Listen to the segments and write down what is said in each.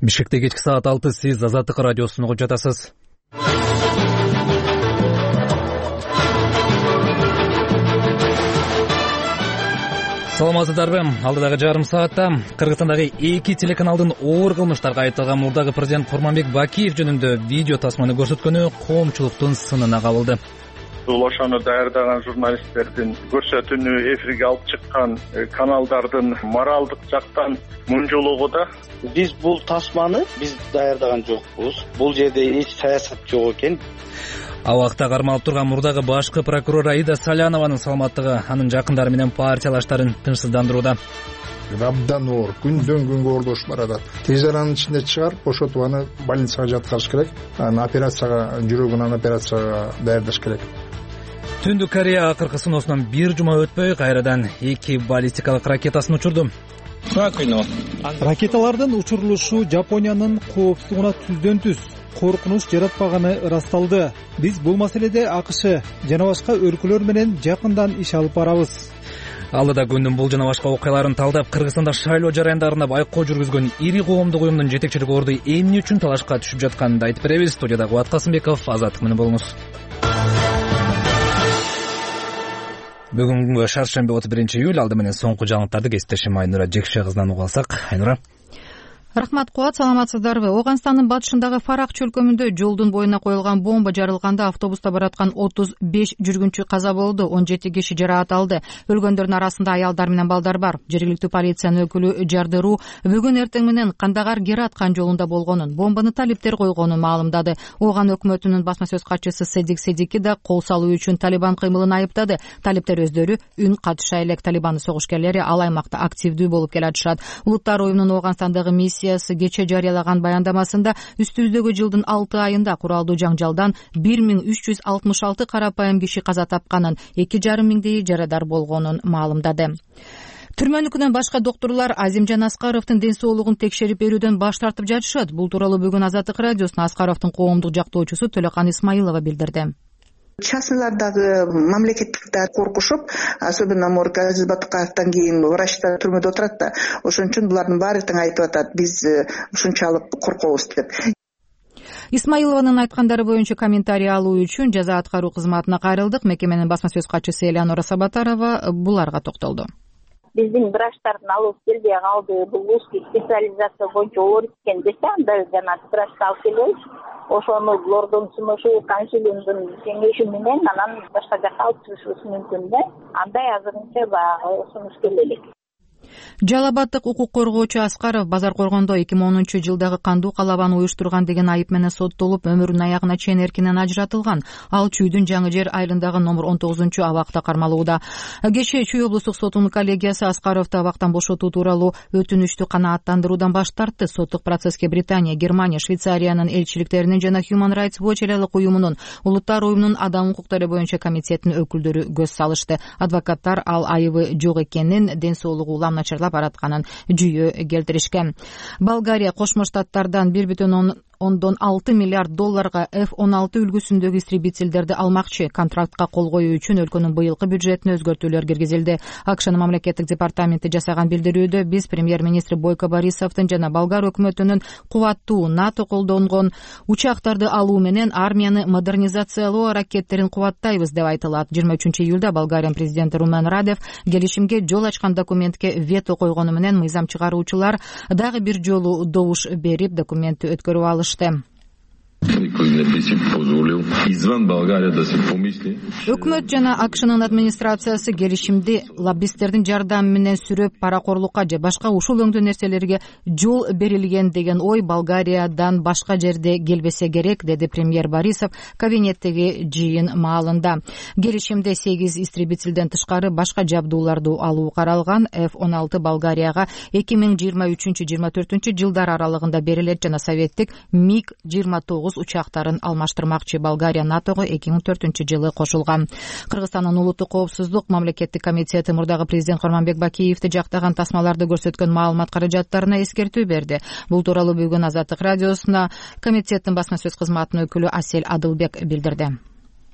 Бишкекте кечки саат 6 сиз Азаттык радиосун угуп жатасыз. Саламатсыздарбы? Алдыдагы жарым саатта Кыргызстандагы 2 телеканалдын оор кылмыштарга айыпталган мурдагы президент Курманбек Бакиев жөнүндө видео тасманы көрсөткөнү коомчулуктун сынына кабылды. Бул ошону даярдаган журналисттердин көрсөтүүнү эфирге алып чыккан каналдардын моралдык жактан мунжулугу да. Биз бул тасманы биз даярдаган жокпуз. Бул жерде эч саясат жок экен. Абакта кармалып турган мурдагы башкы прокурор Аида Салянованын саламаттыгы анын жакындары менен партиялаштарын тынчсыздандырууда. Абдан оор, күндөн күнгө оордошуп баратат. Тез аранын ичинде чыгарып, бошотуп аны больницага жаткырыш керек. Аны операцияга, жүрөгүнөн операцияга даярдаш керек. Түндүк Корея акыркы сыноосунан бир жума өтпөй кайрадан 2 баллистикалык ракетасын учурду. Ракеталардын учурулушу Жапониянын коопсуздугуна түздөн түз коркунуч жаратпаганы ырасталды. Биз бул маселеде АКШ жана башка өлкөлөр менен жакындан иш алып барабыз. Алдыда күндүн бул жана башка окуяларын талдап, Кыргызстанда шайлоо жарандарында байкоо жүргүзгөн ири коомдук уюмдун жетекчилик орду эмне үчүн талашка түшүп жатканын айтып беребиз. Студияда Кубат Касымбеков, Азаттык менен болуңуз. Бүгүнгү шаршемби 31-июль, алды менен соңку жаңылыктарды кесиптешим Айнура Жекше кызынан угуп алсак. Айнура. Рахмат, Кубат, саламатсыздарбы? Ооганстандын батышындагы Фарак чөлкөмүндө жолдун боюна коюлган бомба жарылганда автобуста бараткан 35 жүргүнчү каза болду, 17 киши жараат алды. Өлгөндөрдүн арасында аялдар менен балдар бар. Жергиликтүү полициянын өкүлү Жардыруу бүгүн эртең менен Кандагар Гера аткан жолунда болгонун, бомбаны талиптер койгонун маалымдады. Ооган өкмөтүнүн басма сөз катчысы Седик Седики да кол салуу үчүн Талибан кыймылын айыптады. Талиптер өздөрү үн катыша элек. Талибандын согушкерлери ал аймакта активдүү болуп келатышат. Улуттар уюмунун Ооганстандагы кече жарыялаган баяндамасында үстүбүздөгү жылдын 6 айында куралдуу жаңжалдан 1366 карапайым киши каза тапканын, 2,5 миңдейи жарадар болгонун маалымдады. Түрмөнүкүнөн башка доктурлар Азимжан Аскаровдун ден соолугун текшерип берүүдөн баш тартып жатышат. Бул тууралуу бүгүн Азаттык радиосуна Аскаровдун коомдук жактоочусу Төлөкан Исмаилова билдирди. Частныйлардагы мамлекеттиктер коркушуп, особенно Газиз Батыкаевден кийин врачтар түрмөдө отурат да. Ошон үчүн булардын баары тең айтып атат, биз ушунчалык коркобуз деп. Исмаилованын айткандары боюнча комментарий алуу үчүн жаза аткаруу кызматына кайрылдык. Мекеменин басма сөз катчысы Элеонора Сабатарова буларга токтолду. Биздин врачтардын алып келбей калды. Бул узкий специализация боюнча оор экен десе, анда жана врачты алып келбейбиз. Ошону лордун сунушу, консилиумдун кеңеши менен анан башка жакка алып чыгышыбыз мүмкүн да. Андай азырынча баягы сунуш келелик. Жалал Абаддык укук коргоочу Аскаров Базаркоргондо 2010-жылдагы кандуу калабаны уюштурган деген айып менен соттолуп, өмүрүнүн аягына чейин эркинен ажыратылган. Ал Чүйдүн Жаңы жер айылындагы номер 19 абакта кармалууда. Кечээ Чүй облустук сотунун коллегиясы Аскаровду абактан бошотуу тууралуу өтүнүчтү канааттандыруудан баш тартты. Соттук процесске Британия, Германия, Швейцариянын элчиликтеринин жана Human Rights Watch элалык уюмунун, Улуттар уюмунун адам укуктары боюнча комитетинин өкүлдөрү көз салышты. Адвокаттар ал айыбы жок экенин, ден соолугу начарлап баратканын жүйө келтиришкен. Болгария Кошмо Штаттардан 1,6 миллиард долларга F-16 үлгүсүндөгү истребительдерди алмакчы. Контрактка кол коюу үчүн өлкөнүн быйылкы бюджетине өзгөртүүлөр киргизилди. АКШнын мамлекеттик департаменти жасаган билдирүүдө биз премьер-министри Бойко Борисовдун жана болгар өкмөтүнүн кубаттуу НАТО колдонгон учактарды алуу менен армияны модернизациялоо аракеттерин кубаттайбыз деп айтылат. 23-июлда Болгариянын президенти Румен Радев келишимге жол ачкан документке вето койгону менен мыйзам чыгаруучулар дагы бир жолу добуш берип документти өткөрүп алышты. Өкмөт жана АКШнын администрациясы келишимди лоббисттердин жардамы менен сүрөп, паракорлукка же башка ушул өңдүү нерселерге жол берилген деген ой Болгариядан башка жерде келбесе керек, деди премьер Борисов кабинеттеги жыйын маалында. Келишимде 8 истребительден тышкары башка жабдууларды алуу каралган. F-16 Болгарияга 2023-24 жылдар аралыгында берилет жана советтик МиГ-29 учактарын алмаштырмакчы. Болгария НАТОго 2004-жылы кошулган. Кыргызстандын улуттук коопсуздук мамлекеттик комитети мурдагы президент Курманбек Бакиевди жактаган тасмаларды көрсөткөн маалымат каражаттарына эскертүү берди. Бул тууралуу бүгүн Азаттык радиосуна комитеттин басма сөз кызматынын өкүлү Асель Адылбек билдирди.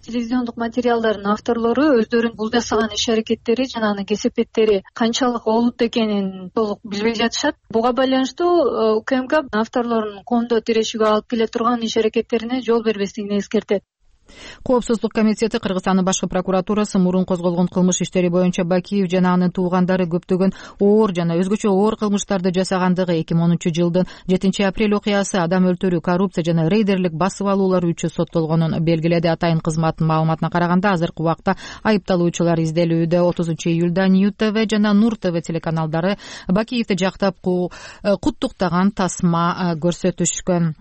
телевизиондук материалдардын авторлору өздөрүнүн бул жасаган иш аракеттери жана анын кесепеттери канчалык олуттуу экенин толук билбей жатышат. Буга байланыштуу УКМК авторлорунун коомдо тирешүүгө алып келе турган иш аракеттерине жол бербестигин эскертет. Коопсуздук комитети Кыргызстандын башкы прокуратурасы мурун козголгон кылмыш иштери боюнча Бакиев жана анын туугандары көптөгөн оор жана өзгөчө оор кылмыштарды жасагандыгы 2010-жылдын 7-апрель окуясы, адам өлтүрүү, коррупция жана рейдерлик басып алуулар үчүн соттолгонун белгиледи. Атайын кызматтын маалыматына караганда азыркы убакта айыпталуучулар изделүүдө. 30-июлда Нью ТВ жана Нур ТВ телеканалдары Бакиевди жактап куттуктаган тасма көрсөтүшкөн.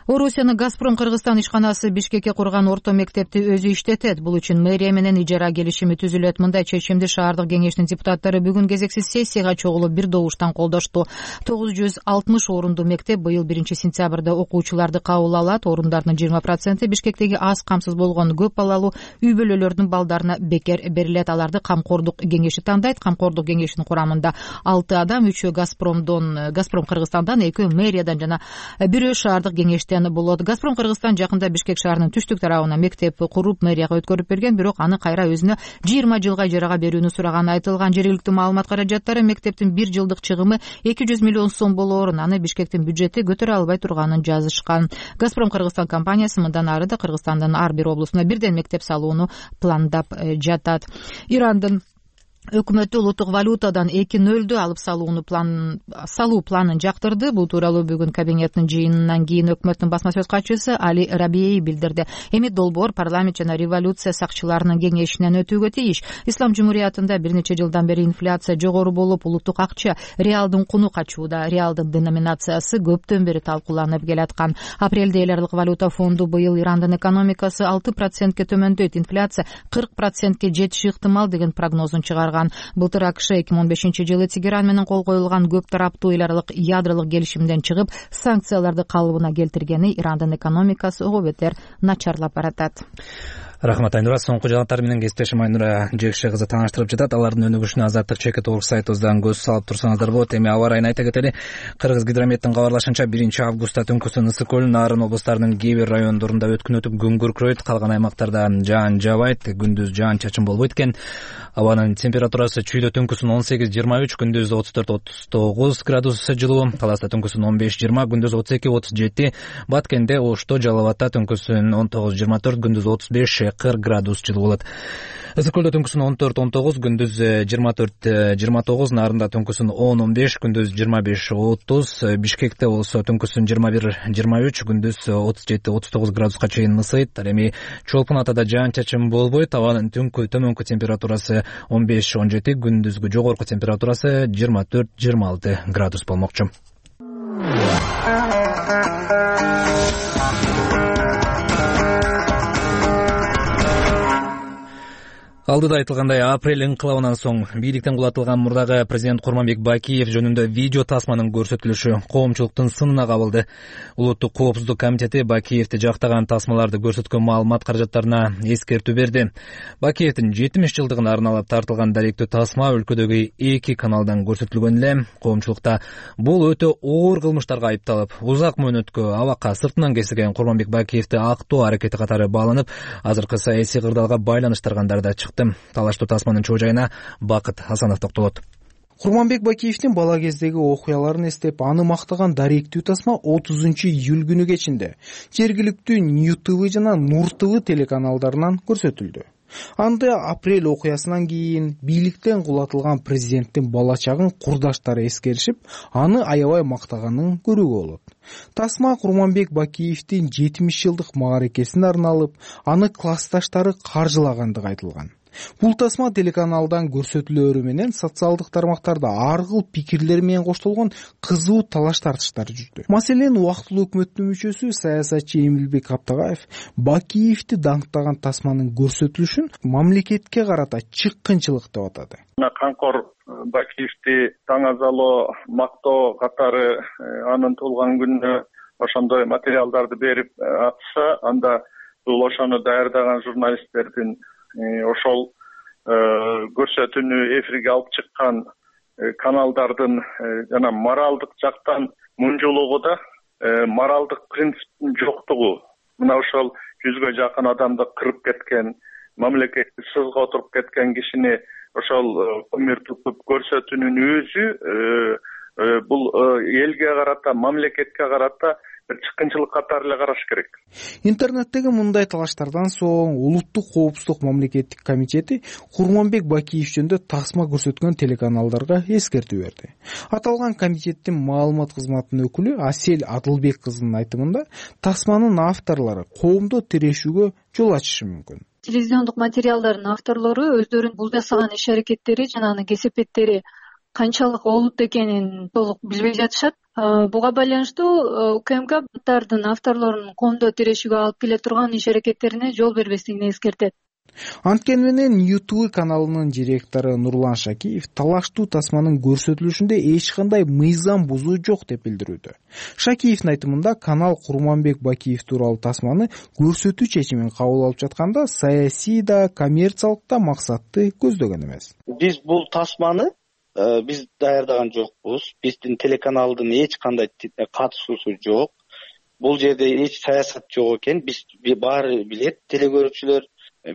Орусиянын Газпром Кыргызстан ишканасы Бишкекке курган орто мектепти өзү иштетет. Бул үчүн мэрия менен ижара келишими түзүлөт. Мындай чечимди шаардык кеңештин депутаттары бүгүн кезексиз сессияга чогулуп бир добуштан колдошту. 960 орундуу мектеп быйыл 1-сентябрда окуучуларды кабыл алат. Орундардын 20% Бишкектеги аз камсыз болгон көп балалуу үй бүлөлөрдүн балдарына бекер берилет. Аларды камкордук кеңеши тандайт. Камкордук кеңешинин курамында 6 адам, 3-өө Газпром Кыргызстандан, 2-өө мэриядан жана 1-өө шаардык кеңештен болот. Газпром Кыргызстан жакында Бишкек шаарынын түштүк тарабына мектеп куруп мэрияга өткөрүп берген, бирок аны кайра өзүнө 20 жылга ижарага берүүнү сураганы айтылган. Жергиликтүү маалымат каражаттары мектептин 1 жылдык чыгымы 200 миллион сом болоорун, аны Бишкектин бюджети көтөрө албай турганын жазышкан. Газпром Кыргызстан компаниясы мындан ары да Кыргызстандын ар бир облусуна бирден мектеп салууну пландап жатат. Ирандын өкмөтү улуттук валютадан 2,0 алып салуу планын жактырды. Бул тууралуу бүгүн кабинеттин жыйынынан кийин өкмөттүн басма сөз катчысы Али Рабией билдирди. Эми долбоор парламент жана революция сакчыларынын кеңешинен өтүүгө тийиш. Ислам жумуриятында бир нече жылдан бери инфляция жогору болуп, улуттук акча реалдын куну качууда. Реалдын деноминациясы көптөн бери талкууланып келаткан. Апрелде эл аралык валюта фонду быйыл Ирандын экономикасы 6%ке төмөндөйт, инфляция 40%ке жетиши ыктымал деген прогнозун чыгарган. Былтыр АКШ 2015-жылы Тегеран менен кол коюлган көп тараптуу эл аралык ядролук келишимден чыгып, санкцияларды калыбына келтиргени Ирандын экономикасы ого бетер начарлап баратат. Рахмат Айнура. Соңку жаңалыктар менен кесиптешим Айнура Жекше кызы тааныштырып жатат. Алардын өнүгүшүнө Азаттык ЧК сайтыбыздан көз салып турсаңыздар болот. Эми аба ырайын айта кетели. Кыргызгидрометтин кабарлашынча 1-августта түнкүсүн Ысык көл, Нарын облустарынын кээ бир райондорунда өткүн өтүп күн күркүрөйт, калган аймактарда жаан жаабайт, күндүз жаан чачын болбойт экен. Абанын температурасы чүйдө түнкүсүн 18-23, күндүз 34-39 градус жылуу, Таласта түнкүсүн 15-20, күндүз 32-37, Баткенде, Ошто, Жалал Абадта түнкүсүн 19-24, күндүз 35-40 градус жылуу болот. Ысык көлдө түнкүсүн 14-19, күндүз 24-29, Нарында түнкүсүн 10-15, күндүз 25-30, Бишкекте болсо түнкүсүн 21-23, күндүз 37-39 градуска чейин ысыйт. Ал эми Чолпун Атада жаан чачын болбойт. Абанын төмөнкү температурасы 15-17, күндүзгү жогорку температурасы 24-26 градус болмокчу. Алдыда айтылгандай, апрель инкылабынан соң бийликтен кулатылган мурдагы президент Курманбек Бакиев жөнүндө видео тасманын көрсөтүлүшү коомчулуктун сынына кабылды. Улуттук коопсуздук комитети Бакиевди жактаган тасмаларды көрсөткөн маалымат каражаттарына эскертүү берди. Бакиевдин 70 жылдыгына арналып тартылган даректүү тасма өлкөдөгү 2 каналдан көрсөтүлгөн эле. Коомчулукта бул өтө оор кылмыштарга айыпталып, узак мөөнөткө абакка сыртынан кесилген Курманбек Бакиевди актоо аракети катары бааланып, азыркы саясий кырдаалга байланыштыргандар да чыкты. Талаштуу тасманын чоо жайына Бакыт Асанов токтолот. Курманбек Бакиевдин бала кездеги окуяларын эстеп, аны мактаган даректүү тасма 30-июль күнү кечинде жергиликтүү Нью ТВ жана Нур ТВ телеканалдарынан көрсөтүлдү. Анда апрель окуясынан кийин бийликтен кулатылган президенттин бала чагын курдаштары эскеришип, аны аябай мактаганын көрүүгө болот. Тасма Курманбек Бакиевдин 70 жылдык мааракесине арналып, аны классташтары каржылагандыгы айтылган. Бул тасма телеканалдан көрсөтүлөөрү менен социалдык тармактарда ар кыл пикирлер менен коштолгон кызуу талаш тартыштар жүрдү. Маселен, убактылуу өкмөттүн мүчөсү саясатчы Эмилбек Аптагаев Бакиевди даңктаган тасманын көрсөтүлүшүн мамлекетке карата чыккынчылык деп атады. Канкор Бакиевди таңазалоо, мактоо катары анын туулган күнүнө ошондой материалдарды берип атса, анда бул ошону даярдаган журналисттердин ошол көрсөтүүнү эфирге алып чыккан каналдардын жана моралдык жактан мунжулугу да моралдык принциптин жоктугу. Мына ошол 100гө жакын адамды кырып кеткен, мамлекетти сызга отуруп кеткен кишини ошол кумир тутуп көрсөтүүнүн өзү бул элге карата, мамлекетке карата чыккынчылык катары эле караш керек. Интернеттеги мындай талаштардан соң Улуттук коопсуздук мамлекеттик комитети Курманбек Бакиев жөнүндө тасма көрсөткөн телеканалдарга эскертүү берди. Аталган комитеттин маалымат кызматынын өкүлү Асель Адылбек кызынын айтымында, тасманын авторлору коомдо тирешүүгө жол ачышы мүмкүн. Телевизиондук материалдардын авторлору өздөрүнүн бул жасаган иш-аракеттери жана кесепеттери канчалык олут экенин толук билбей жатышат. Буга байланыштуу УКМКдин авторлорунун коомдо тирешүүгө алып келе турган иш-аракеттерине жол бербестигин эскертет. Анткени менен YouTube каналынын директору Нурлан Шакиев талаштуу тасманын көрсөтүлүшүндө эч кандай мыйзам бузуу жок деп билдирүүдө. Шакиевдин айтымында, канал Курманбек Бакиев тууралуу тасманы көрсөтүү чечимин кабыл алып жатканда саясий да, коммерциялык да максатты көздөгөн эмес. Биз бул тасманы биз даярдаган жокпуз. Биздин телеканалдын эч кандай катышуусу жок. Бул жерде эч саясат жок экен. Биз баары билет, телекөрүүчүлөр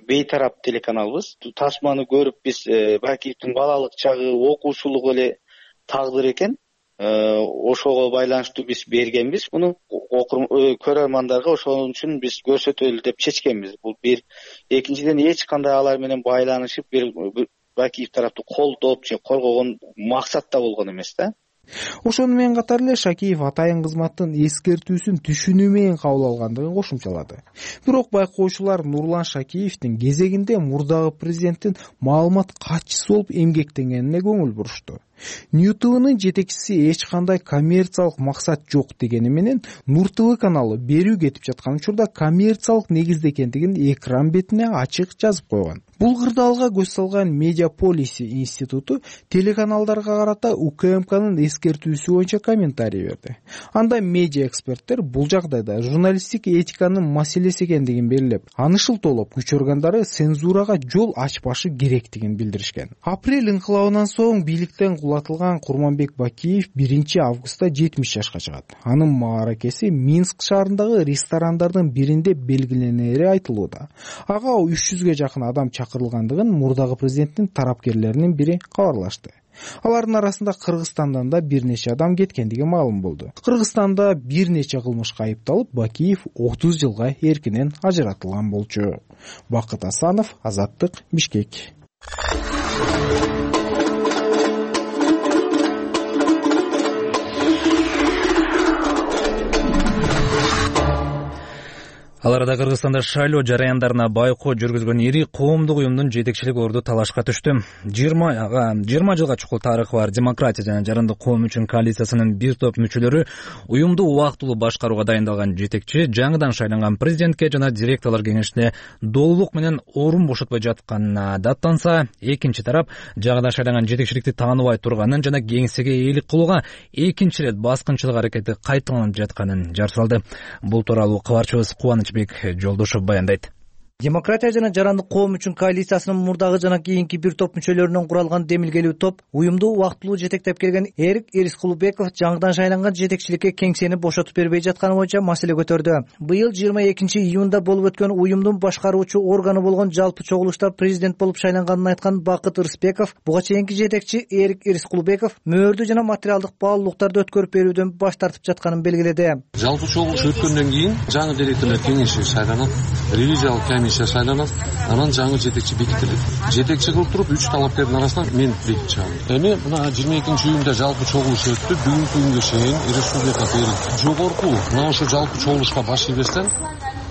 бейтарап телеканалбыз. Тасманы көрүп биз Бакиевдин балалык чагы, окуучулугу эле тагдыр экен. Ошого байланыштуу биз бергенбиз. Муну көрөрмандарга ошон үчүн биз көрсөтөлү деп чечкенбиз. Бул бир. Экинчиден, эч кандай алар менен байланышып Бакиев тараптуу колдоп же коргогон максатта болгон эмес да. Ошону менен катар эле Шакиев атайын кызматтын эскертүүсүн түшүнүү менен кабыл алгандыгын кошумчалады. Бирок байкоочулар Нурлан Шакиевдин кезегинде мурдагы президенттин маалымат катчысы болуп эмгектенгенине көңүл бурушту. Нью-ТВнын жетекчиси эч кандай коммерциялык максат жок дегени менен Нур ТВ каналы берүү кетип жаткан учурда коммерциялык негизде экендигин экран бетине ачык жазып койгон. Бул кырдаалга көз салган Медиаполиси институту телеканалдарга карата УКМКнын эскертүүсү боюнча комментарий берди. Анда медиа эксперттер бул жагдайда журналисттик этиканын маселеси экендигин белгилеп, аны шылтоолоп күч органдары цензурага жол ачпашы керектигин билдиришкен. Апрель инкылабынан соң бийликтен кулатылган Курманбек Бакиев 1-августта 70 жашка чыгат. Анын мааракеси Минск шаарындагы ресторандардын биринде белгиленери айтылууда. Ага 300гө жакын адам чакырылгандыгын мурдагы президенттин тарапкерлеринин бири кабарлашты. Алардын арасында Кыргызстандан да бир нече адам кеткендиги маалым болду. Кыргызстанда бир нече кылмышка айыпталып, Бакиев 30 жылга эркинен ажыратылган болчу. Бакыт Асанов, Азаттык, Бишкек. Ал арада Кыргызстанда шайлоо жараяндарына байкоо жүргүзгөн ири коомдук уюмдун жетекчилик орду талашка түштү. 20 жылга чукул тарыхы бар Демократия жана Жарандык коом үчүн коалициясынын бир топ мүчөлөрү уюмду убактылуу башкарууга дайындалган жетекчи жаңыдан шайланган президентке жана директорлор кеңешине долулук менен орун бошотпой жатканына даттанса, экинчи тарап жаңыдан шайланган жетекчиликти тааныбай турганын жана кеңсеге ээлик кылууга экинчи ирет баскынчылык аракети кайталанып жатканын жар салды. Бул тууралуу кабарчыбыз Кубаныч Жолдошов баяндайт. Демократия жана Жарандык коом үчүн коалициясынын мурдагы жана кийинки бир топ мүчөлөрүнөн куралган демилгелүү топ уюмду убактылуу жетектеп келген Эрик Ирискулбеков жаңыдан шайланган жетекчиликке кеңсени бошотуп бербей жатканы боюнча маселе көтөрдү. Быйыл 22-июнда болуп өткөн уюмдун башкаруучу органы болгон жалпы чогулушта президент болуп шайланганын айткан Бакыт Рыспеков буга чейинки жетекчи Эрик Ирискулбеков мөөрдү жана материалдык баалуулуктарды өткөрүп берүүдөн баш тартып жатканын белгиледи. Жалпы чогулуш өткөндөн кийин жаңы директорлор кеңеши шайланат, ревизиялык комиссия шайланат, анан жаңы жетекчи бекитилет. Жетекчи кылып туруп 3 талапкердин арасынан мен бекитип чыгам. Эми мына 22-июнда жалпы чогулуш өттү. Бүгүнкү күнгө чейин Республика Эрик жогорку мына ошо жалпы чогулушка баш ийбестен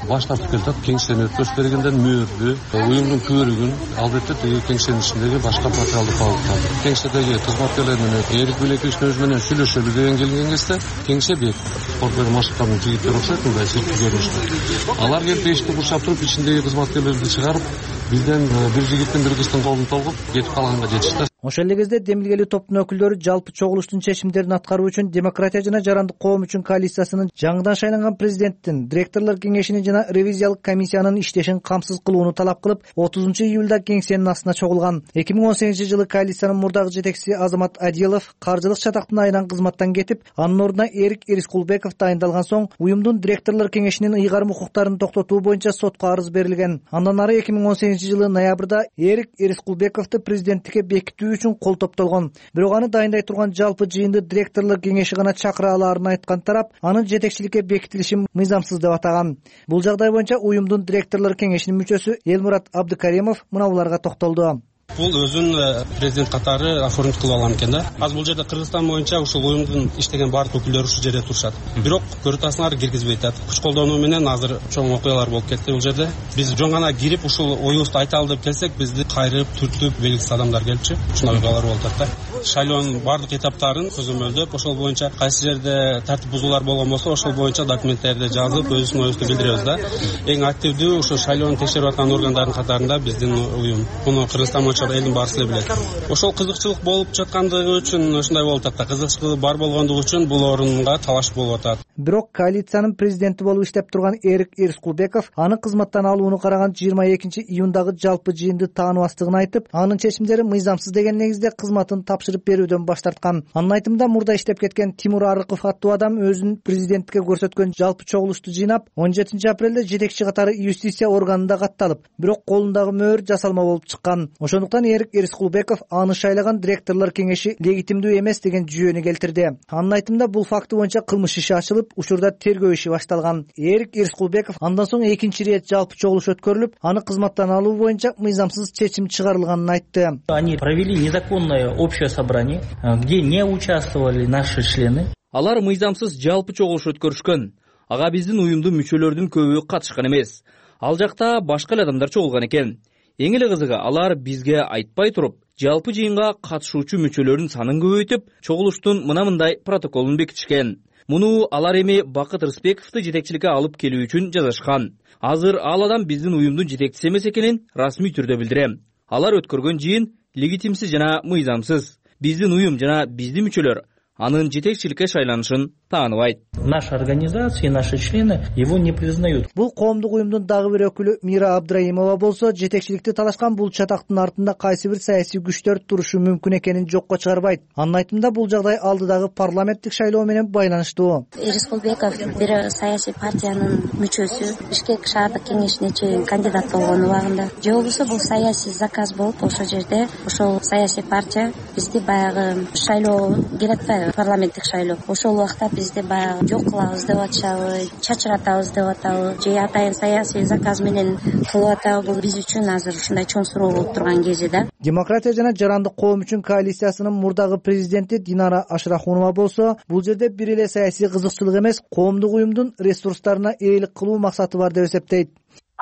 баш тартып келатат. Кеңсени өткөрүп бергенден мөөрдү, уюмдун көрүгүн, албетте тиги кеңсенин ичиндеги башка материалдык баалуулуктарды. Кеңседеги кызматкерлер менен Эрик Билековичтин өзү менен сүйлөшөлү деген келген кезде кеңсе бек спортбер машыктардын жигиттери окшойт, мындай сырткы көрүнүштө. Алар келип эшикти курчап туруп ичиндеги кызматкерлерди чыгарып, бизден бир жигиттин бир кыздын колун тогуп кетип калганга жетишти. Ошол эле кезде демилгелүү топтун өкүлдөрү жалпы чогулуштун чечимдерин аткаруу үчүн Демократия жана жарандык коом үчүн коалициясынын жаңыдан шайланган президенттин, директорлор кеңешини жана ревизиялык комиссиянын иштешин камсыз кылууну талап кылып 30-июлда кеңсенин астына чогулган. 2018-жылы коалициянын мурдагы жетекчиси Азамат Адилов каржылык чатактын айынан кызматтан кетип, анын ордуна Эрик Эрискулбеков дайындалган соң уюмдун директорлор кеңешинин ыйгарым укуктарын токтотуу боюнча сотко арыз берилген. Андан ары 2018-жылы ноябрда Эрик Эрискулбековду президенттикке бекитүү үчүн кол топтолгон. Бирок аны дайындай турган жалпы жыйынды директорлор кеңеши гана чакыра алаарын айткан тарап анын жетекчиликке бекитилишин мыйзамсыз деп атаган. Бул жагдай боюнча уюмдун директорлор кеңешинин мүчөсү Элмурат Абдыкаримов мыналарга токтолду. Бул өзүн президент катары оформить кылып алган экен да. Азыр бул жерде Кыргызстан боюнча ушул уюмдун иштеген баардык өкүлдөрү ушул жерде турушат. Бирок көрүп атасыңар, киргизбей атат. Күч колдонуу менен азыр чоң окуялар болуп кетти бул жерде. Биз жөн гана кирип ушул оюбузду айталы деп келсек, бизди кайрып, түртүп, белгисиз адамдар келипчи. Ушундай окуялар болуп атат да. Шайлоонун баардык этаптарын көзөмөлдөп, ошол боюнча кайсы жерде тартип бузуулар болгон болсо, ошол боюнча документтерди жазып, өзүбүздүн оюбузду билдиребиз да. Эң активдүү ушул шайлоону текшерип аткан органдардын катарында биздин уюм. Муну Кыргызстан боюнча элдин баарысы эле билет. Ошол кызыкчылык болуп жаткандыгы үчүн ушундай болуп атат да. Кызыкчылык бар болгондугу үчүн бул орунга талаш болуп атат. Бирок коалициянын президенти болуп иштеп турган Эрик Эрискулбеков аны кызматтан алууну караган 22-июндагы жалпы жыйынды тааныбастыгын айтып, анын чечимдери мыйзамсыз деген негизде кызматын тапшырып берүүдөн баш тарткан. Анын айтымында мурда иштеп кеткен Тимур Арыков аттуу адам өзүн президенттикке көрсөткөн жалпы чогулушту жыйнап, 17-апрелде жетекчи катары юстиция органында катталып, бирок колундагы мөөр жасалма болуп чыккан. Ошондуктан Эрик Эрискулбеков аны шайлаган директорлор кеңеши легитимдүү эмес деген жүйөнү келтирди. Анын айтымында бул факты боюнча кылмыш иши ачылып, учурда тергөө иши башталган. Эрик Эрискулбеков андан соң экинчи ирет жалпы чогулуш өткөрүлүп, аны кызматтан алуу боюнча мыйзамсыз чечим чыгарылганын айтты. Они провели незаконное общее собрание, где не участвовали наши члены. Алар мыйзамсыз жалпы чогулуш өткөрүшкөн. Ага биздин уюмдун мүчөлөрүнүн көбү катышкан эмес. Ал жакта башка эле адамдар чогулган экен. Эң эле кызыгы, алар бизге айтпай туруп, жалпы жыйынга катышуучу мүчөлөрдүн санын көбөйтүп, чогулуштун мындай протоколун бекитишкен. Муну алар эми Бакыт Рысбековду жетекчиликке алып келүү үчүн жазышкан. Азыр ал адам биздин уюмдун жетекчиси эмес экенин расмий түрдө билдирем. Алар өткөргөн жыйын легитимсиз жана мыйзамсыз. Биздин уюм жана биздин мүчөлөр анын жетекчиликке шайланышын тааныбайт. Наша организация и наши члены его не признают. Бул коомдук уюмдун дагы бир өкүлү Мира Абдраимова болсо, жетекчиликти талашкан бул чатактын артында кайсы бир саясий күчтөр турушу мүмкүн экенин жокко чыгарбайт. Анын айтымында бул жагдай алдыдагы парламенттик шайлоо менен байланыштуу. Эрискулбеков бир саясий партиянын мүчөсү, Бишкек шаардык кеңешине чейин кандидат болгон убагында. Же болбосо бул саясий заказ болуп, ошол жерде ошол саясий партия бизди баягы шайлоо келет атпайбы, парламенттик шайлоо. Ошол убакта бизди баягы жок кылабыз деп атышабы, чачыратабыз деп атабы, же атайын саясий заказ менен кылып атабы. Бул биз үчүн азыр ушундай чоң суроо болуп турган кези да. Демократия жана жарандык коом үчүн коалициясынын мурдагы президенти Динара Ашрахунова болсо, бул жерде бир эле саясий кызыкчылык эмес, коомдук уюмдун ресурстарына ээлик кылуу максаты бар деп эсептейт.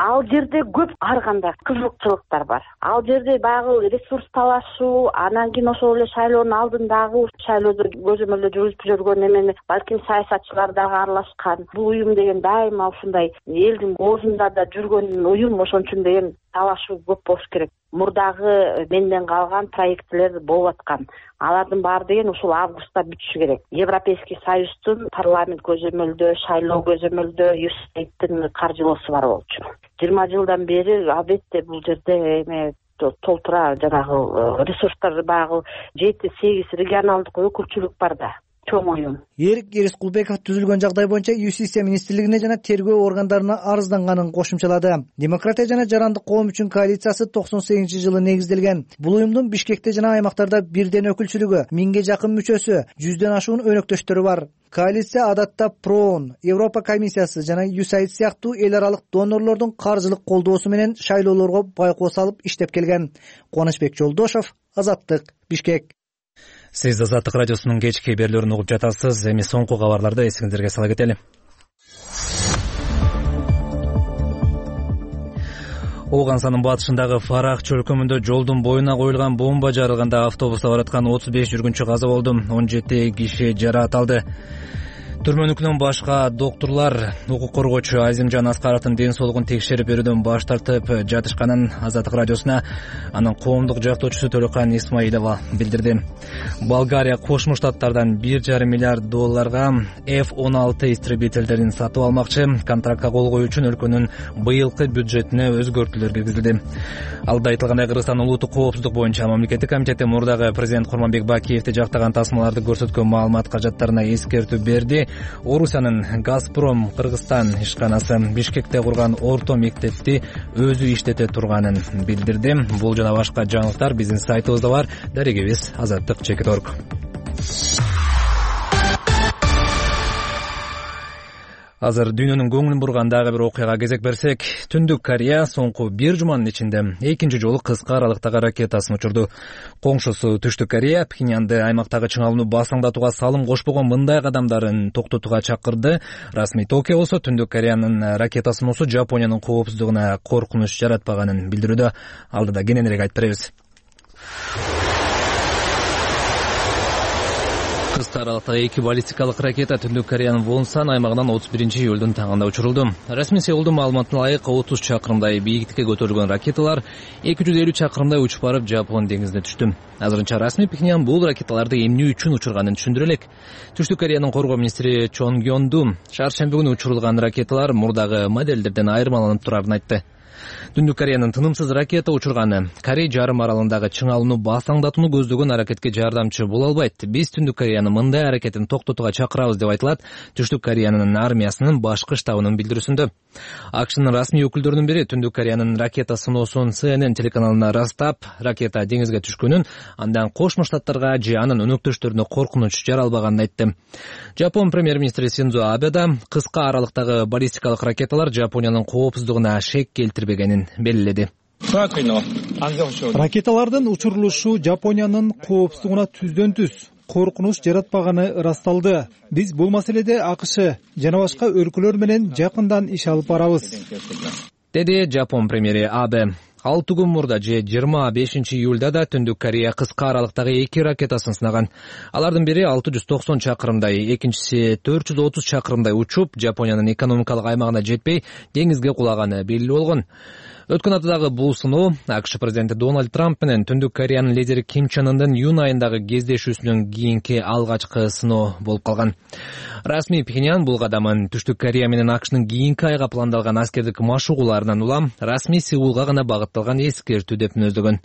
Ал жерде көп ар кандай кызыкчылыктар бар. Ал жерде баягы ресурс талашуу, анан кийин ошол эле шайлоонун алдындагы шайлоодо көзөмөлдө жүргүзүп жүргөн эмени балким саясатчылар дагы аралашкан. Бул уюм деген дайыма ушундай элдин оозунда да жүргөн уюм, ошон үчүн деген талашуу көп болуш керек. Мурдагы менден калган проекттер болуп аткан. Алардын баары деген ушул августта бүтүшү керек. Европейский союздун парламент көзөмөлдөө, шайлоо көзөмөлдөө USAID-тин каржылоосу бар болчу. 20 жылдан бери албетте бул жерде эме толтура жанагы ресурстар баягы 7-8 регионалдык өкүлчүлүк бар да. Эрик Эрискулбеков түзүлгөн жагдай боюнча Юстиция министрлигине жана тергөө органдарына арызданганын кошумчалады. Демократия жана жарандык коом үчүн коалициясы 98-жылы негизделген. Бул уюмдун Бишкекте жана аймактарда бирден өкүлчүлүгү, 1000ге жакын мүчөсү, 100дөн ашуун өнөктөштөрү бар. Коалиция адатта ПРООН, Европа комиссиясы жана USAID сыяктуу эл аралык донорлордун каржылык колдоосу менен шайлоолорго байкоо салып иштеп келген. Кубанычбек Жолдошов, Азаттык, Бишкек. Сиз Азаттык радиосунун кечки берүүлөрүн угуп жатасыз. Эми соңку кабарларды эсиңиздерге сала кетели. Ооганстандын батышындагы Фарах чөлкөмүндө жолдун боюна коюлган бомба жарылганда автобуста бараткан 35 жүргүнчү каза болду. 17 киши жаракат алды. Түрмөнүкүнөн башка доктурлар укук коргоочу Азимжан Аскаровдун ден соолугун текшерип берүүдөн баш тартып жатышканын Азаттык радиосуна анын коомдук жактоочусу Төлөкан Исмаилова билдирди. Болгария Кошмо Штаттардан $1,5 миллиард F-16 истребительдерин сатып алмакчы. Контрактка кол коюу үчүн өлкөнүн быйылкы бюджетине өзгөртүүлөр киргизилди. Алда айтылгандай, Кыргызстан улуттук коопсуздук боюнча мамлекеттик комитети мурдагы президент Курманбек Бакиевди жактаган тасмаларды көрсөткөн маалымат кажаттарына эскертүү берди. Орусиянын Газпром Кыргызстан ишканасы Бишкекте курган орто мектепти өзү иштете турганын билдирди. Бул жана башка жаңылыктар биздин сайтыбызда бар. Дарегебиз Азаттык.org. Азыр дүйнөнүн көңүлүн бурган дагы бир окуяга кезек берсек, Түндүк Корея соңку бир жуманын ичинде экинчи жолу кыска аралыктагы ракетасын учурду. Коңшусу Түштүк Корея Пхеньянды аймактагы чыңалууну басаңдатууга салым кошпогон мындай кадамдарын токтотууга чакырды. Расмий Токио болсо Түндүк Кореянын ракета сыноосу Жапониянын коопсуздугуна коркунуч жаратпаганын билдирүүдө. Алдыда кененирээк айтып беребиз. Кыска аралыктагы эки баллистикалык ракета Түндүк Кореянын Вонсан аймагынан 31-июлдун таңында учурулду. Расмий Сеулдун маалыматына ылайык 30 чакырымдай бийиктикке көтөрүлгөн ракеталар 250 чакырымдай учуп барып Жапон деңизине түштү. Азырынча расмий Пхеньян бул ракеталарды эмне үчүн учурганын түшүндүрө элек. Түштүк Кореянын коргоо министри Чон Гёнду шаршемби күнү учурулган ракеталар мурдагы моделдерден айырмаланып турарын айтты. Түндүк Кореянын тынымсыз ракета учурганы Корей жарым аралындагы чыңалууну басаңдатууну көздөгөн аракетке жардамчы боло албайт. Биз Түндүк Кореянын мындай аракетин токтотууга чакырабыз деп айтылат Түштүк Кореянын армиясынын башкы штабынын билдирүүсүндө. АКШнын расмий өкүлдөрүнүн бири Түндүк Кореянын ракета сыноосун CNN телеканалына ырастап, ракета деңизге түшкөнүн, андан Кошмо Штаттарга же анын өнөктөштөрүнө коркунуч жаралбаганын айтты. Жапон премьер-министри Синдзо Абе да кыска аралыктагы баллистикалык ракеталар Жапониянын коопсуздугуна шек келтирбегенин белгиледи. Ракеталардын учурулушу Жапониянын коопсуздугуна түздөн түз коркунуч жаратпаганы ырасталды. Биз бул маселеде АКШ жана башка өлкөлөр менен жакындан иш алып барабыз, деди Жапон премьери Абе. 6 күн мурда же 25-июлда да Түндүк Корея кыска аралыктагы эки ракетасын сынаган. Алардын бири 690 чакырымдай, экинчиси 430 чакырымдай учуп, Жапониянын экономикалык аймагына жетпей, деңизге кулаганы белгилүү болгон. Өткөн аптадагы бул сыноо АКШ президенти Дональд Трамп менен Түндүк Кореянын лидери Ким Чен Ындын июнь айындагы кездешүүсүнөн кийинки алгачкы сыноо болуп калган. Расмий Пхеньян бул кадамын Түштүк Корея менен АКШнын кийинки айга пландалган аскердик машыгууларынан улам расмий Сеулга гана багытталган эскертүү деп мүнөздөгөн.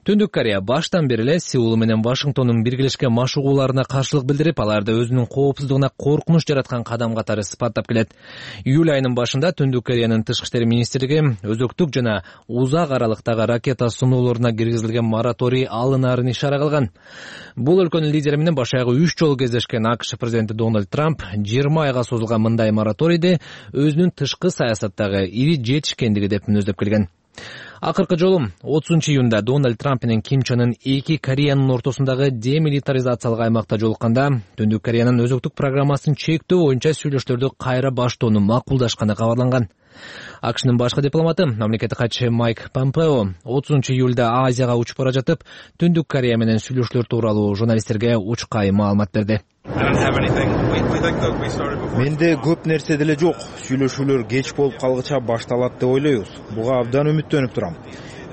Түндүк Корея баштан бери эле Сеул менен Вашингтондун биргелешкен машыгууларына каршылык билдирип, аларды өзүнүн коопсуздугуна коркунуч жараткан кадам катары сыпаттап келет. Июль айынын башында Түндүк Кореянын тышкы иштер министрлиги өзөктүк жана узак аралыктагы ракета сыноолоруна киргизилген мораторий алынаарын ишара кылган. Бул өлкөнүн лидери менен баш аягы 3 жолу кездешкен АКШ президенти Дональд Трамп 20 айга созулган мындай мораторийди өзүнүн тышкы саясаттагы ири жетишкендиги деп мүнөздөп келген. Акыркы жолу 30-июнда Дональд Трамп менен Ким Чен Ын эки Кореянын ортосундагы демилитаризациялык аймакта жолукканда Түндүк Кореянын өзөктүк программасын чектөө боюнча сүйлөшүүлөрдү кайра баштоону макулдашканы кабарланган. АКШнын башкы дипломаты, мамлекеттик катчы Майк Помпео 30-июлда Азияга учуп бара жатып, Түндүк Корея менен сүйлөшүүлөр тууралуу журналисттерге учкай маалымат берди. Менде көп нерсе деле жок. Сүйлөшүүлөр кеч болуп калгыча башталат деп ойлойбуз. Буга абдан үмүттөнүп турам.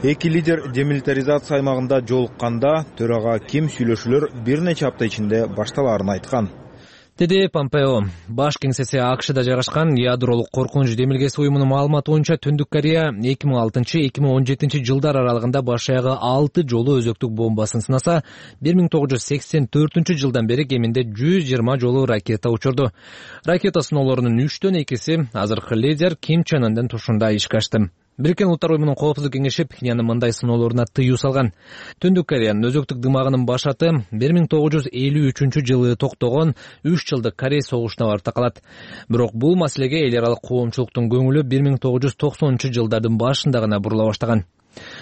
Эки лидер демилитаризация аймагында жолукканда төрага Ким сүйлөшүүлөр бир нече апта ичинде башталаарын айткан, деди Помпео. Баш кеңсеси АКШда жайгашкан ядролук коркунуч демилгеси уюмунун маалыматы боюнча Түндүк Корея 2006-2017 жылдар аралыгында баш аягы 6 жолу өзөктүк бомбасын сынаса, 1984 жылдан бери кеминде 120 жолу ракета учурду. Ракета сыноолорунун 3төн 2си азыркы лидер Ким Чен Ындын тушунда ишке ашты. Бириккен Улуттар уюмунун коопсуздук кеңеши Пхеньяндын мындай сыноолоруна тыюу салган. Түндүк Кореянын өзөктүк дымагынын башаты 1953 жылы токтогон 3 жылдык Корей согушуна барып такалат. Бирок бул маселеге эл аралык коомчулуктун көңүлү 1990 жылдардын башында гана бурула баштаган.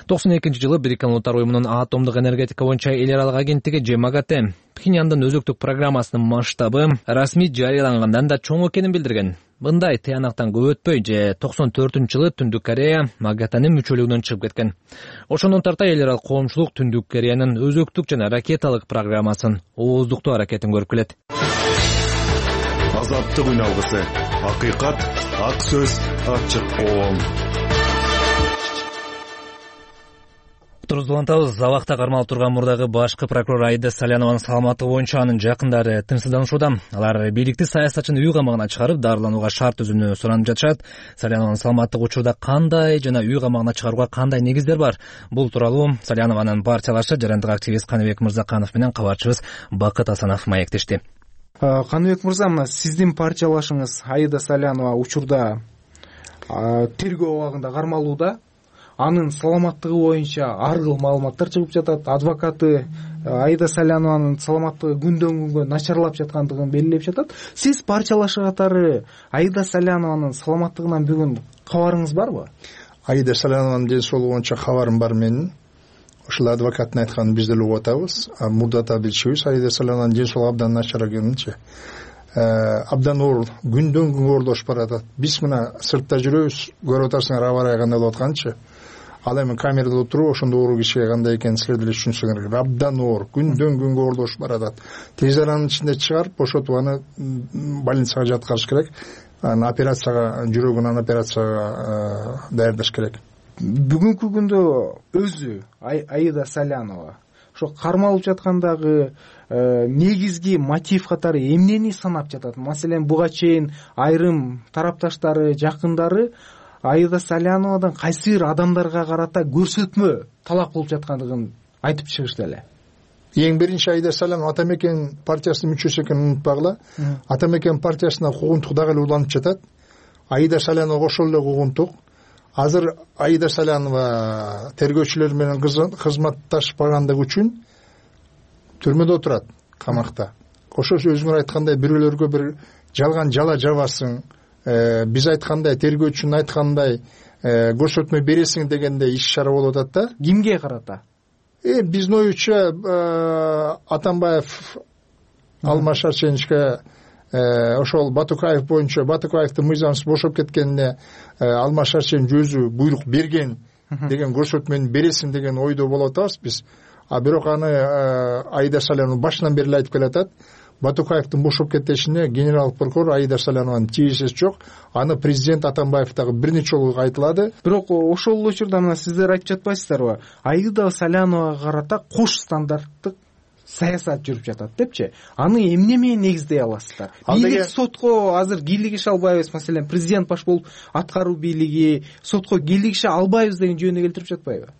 92 жылы Бириккен Улуттар уюмунун атомдук энергетика боюнча эл аралык агенттиги ЖМАГАТЭ Пхеньяндын өзөктүк программасынын масштабы расмий жарыялангандан да чоң экенин билдирген. Мындай тыянактан көп өтпөй же 94-жылы Түндүк Корея МАГАТЭнин мүчөлүгүнөн чыгып кеткен. Ошондон тарта эл аралык коомчулук Түндүк Кореянын өзөктүк жана ракеталык программасын ооздуктоо аракетин көрүп келет. азаттык үн алгысы. Акыйкат, ак сөз, ачык коом. Улантабыз. Абакта кармалып турган мурдагы башкы прокурор Аида Салянованын саламаттыгы боюнча анын жакындары тынчсызданууда. Алар бийликти саясатчыны үй камагына чыгарып, дарыланууга шарт түзүүнү суранып жатышат. Салянованын саламаттыгы учурда кандай жана үй камагына чыгарууга кандай негиздер бар? Бул тууралуу Салянованын партиялашы жарандык активист Каныбек Мырзаканов менен кабарчыбыз Бакыт Асанов маектешти. Каныбек мырза, мына сиздин партиялашыңыз Аида Салянова учурда тергөө абагында кармалууда. Анын саламаттыгы боюнча ар кыл маалыматтар чыгып жатат. Адвокаты Аида Салянованын саламаттыгы күндөн күнгө начарлап жаткандыгын белгилеп жатат. Сиз партиялашы катары Аида Салянованын саламаттыгынан бүгүн кабарыңыз барбы? Аида Салянованын ден соолугу боюнча кабарым бар менин. Ошол адвокаттын айтканын биз деле угуп атабыз. Мурда да билчүбүз, Аида Салянованын ден соолугу абдан начар экенинчи. Абдан оор, күндөн күнгө оордошуп баратат. Биз мына сыртта жүрөбүз, көрүп атасыңар аба ырайы кандай болуп атканчы. Ал эми камерада отуруп, ошондо оору кишиге кандай экенин силер деле түшүнсөңөр керек. Абдан оор, күндөн күнгө оордошуп баратат. Тез аранын ичинде чыгарып, бошотуп аны больницага жаткырыш керек. Аны операцияга, жүрөгүнөн операцияга даярдаш керек. Бүгүнкү күндө өзү Аида Салянова ошо кармалып жаткандагы негизги мотив катары эмнени санап жатат? Маселен, буга чейин айрым тарапташтары, жакындары Аида Саляновадан кайсы бир адамдарга карата көрсөтмө талап кылып жаткандыгын айтып чыгышты эле. Эң биринчи Аида Салянова Ата Мекен партиясынын мүчөсү экенин унутпагыла. Ата Мекен партиясына куугунтук дагы эле уланып жатат. Аида Салянова ошол эле куугунтук. Азыр Аида Салянова тергөөчүлөр менен кызматташпагандыгы үчүн түрмөдө отурат, камакта. Ошо өзүңөр айткандай бирөөлөргө бир жалган жала жабасың, биз айткандай, тергөөчүнүн айткандай көрсөтмө бересиң дегендей иш чара болуп атат да. Кимге карата? Биздин оюбузча Атамбаев Алмаз Шарченовичке ошол Батукаев боюнча, Батукаевдин мыйзамсыз бошоп кеткенине Алмаз Шарченович өзү буйрук берген деген көрсөтмөнү бересиң деген ойдо болуп атабыз биз. Бирок аны Аида Салянова башынан бери айтып келатат. Батукаевдин бошоп кетишине генерал прокурор Аида Салянованын тиешеси жок. Аны президент Атамбаев дагы бир нече жолу айтылады. Бирок ошол учурда мына сиздер айтып жатпайсыздарбы? Аида Саляновага карата кош стандарттык саясат жүрүп жатат депчи. Аны эмне менен негиздей аласыздар? Бийлик сотко азыр кийлигише албайбыз, маселен, президент баш болуп аткаруу бийлиги сотко кийлигише албайбыз деген жөнүнө келтирип жатпайбы?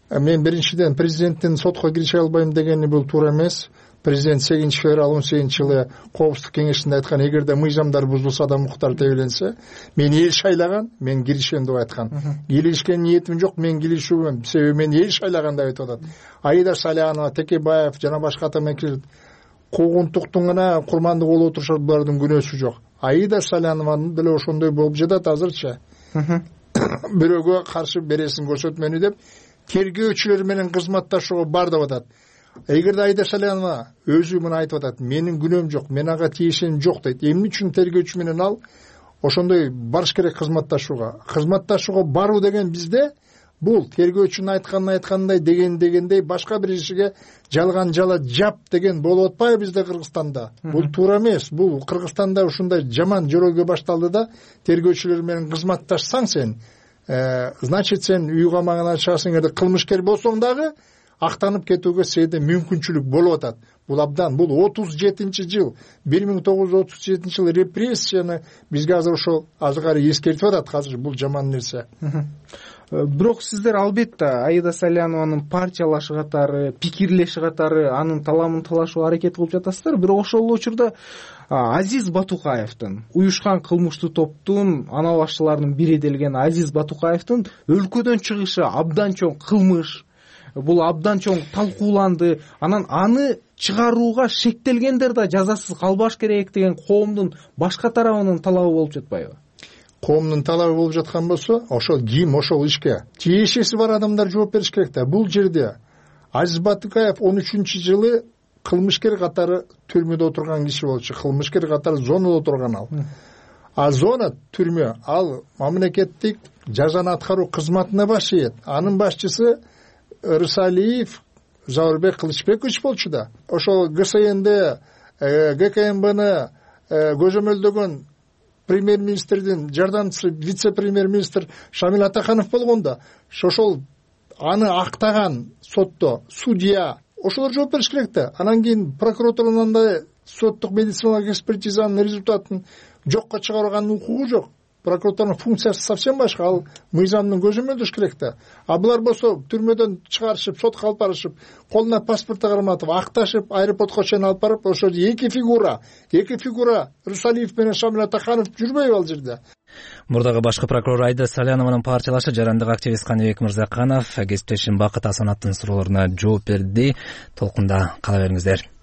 Мен биринчиден президенттин сотко киреше албайм дегени бул туура эмес. Президент 8 февраль 2018 жылы Коопсуздук кеңешинде айткан, эгерде мыйзамдар бузулса да муктар тебеленсе, мен эл шайлаган, мен киришем деп айткан. Кийлигишке ниетим жок, мен киришүүмөн, себеби мен эл шайлаган деп айтып атат. Аида Салянова, Текебаев жана башка атамекендер куугунтуктун гана курмандыгы болуп отурушат, булардын күнөөсү жок. Аида Салянованын деле ошондой болуп жатат азырчы. Бирөөгө каршы бересиң көрсөтмөнү деп тергөөчүлөр менен кызматташууга бар деп атат. Эгерде Аида Салянова өзү муну айтып атат, менин күнөөм жок, мен ага тиешем жок дейт. Эмне үчүн тергөөчү менен ал ошондой барыш керек кызматташууга? Кызматташууга баруу деген бизде бул тергөөчүнүн айткандай дегендей башка бир ишиге жалган жала жап деген болуп атпайбы бизде Кыргызстанда? Бул туура эмес. Бул Кыргызстанда ушундай жаман жөрөгө башталды да, тергөөчүлөр менен кызматташсаң сен, значит сен үй камагына чыгасың. Эгерде кылмышкер болсоң дагы актанып кетүүгө сенде мүмкүнчүлүк болуп атат. Бул абдан, бул 37-жыл, 1937 жыл репрессияны бизге азыр ошол азыркары эскертип атат. Азыр бул жаман нерсе. Бирок сиздер албетте Аида Салянованын партиялашы катары, пикирлеши катары анын таламын талашууга аракет кылып жатасыздар. Бирок ошол учурда Азиз Батукаевдин, уюшкан кылмыштуу топтун ана башчыларынын бири делген Азиз Батукаевдин өлкөдөн чыгышы абдан чоң кылмыш. Бул абдан чоң талкууланды. Анан аны чыгарууга шектелгендер да жазасыз калбаш керек деген коомдун башка тарабынын талабы болуп жатпайбы? Коомдун талабы болуп жаткан болсо, ошол ким ошол ишке тиешеси бар адамдар жооп бериш керек да. Бул жерде Азиз Батукаев 13-жылы кылмышкер катары түрмөдө отурган киши болчу. Кылмышкер катары зонада отурган ал. А зона түрмө, ал мамлекеттик жазаны аткаруу кызматына баш ийет. Анын башчысы Рысалиев Заурбек Кылычбекович болчу да. Ошол ГСНД, ГКМБны көзөмөлдөгөн премьер министрдин жардамчысы вице премьер министр Шамил Атаханов болгондо ошол аны актаган сотто судья ошолор жооп бериш керек да. Анан кийин прокуратуранын андай соттук медициналык экспертизанын результатын жокко чыгарганын укугу жок. Прокуратуранын функциясы совсем башка, ал мыйзамдын көзөмөлдөш керек да. А булар болсо түрмөдөн чыгарышып, сотко алып барышып, колуна паспорту карматып, акташып, аэропортко чейин алып барып, ошо эки фигура Русалиев менен Шамил Атаханов жүрбөйбү ал жерде. Мурдагы башкы прокурор Айда Салянованын партиялашы жарандык активист Каныбек Мырзаканов кесиптешим Бакыт Асановдун суроолоруна жооп берди. Толкунда кала бериңиздер.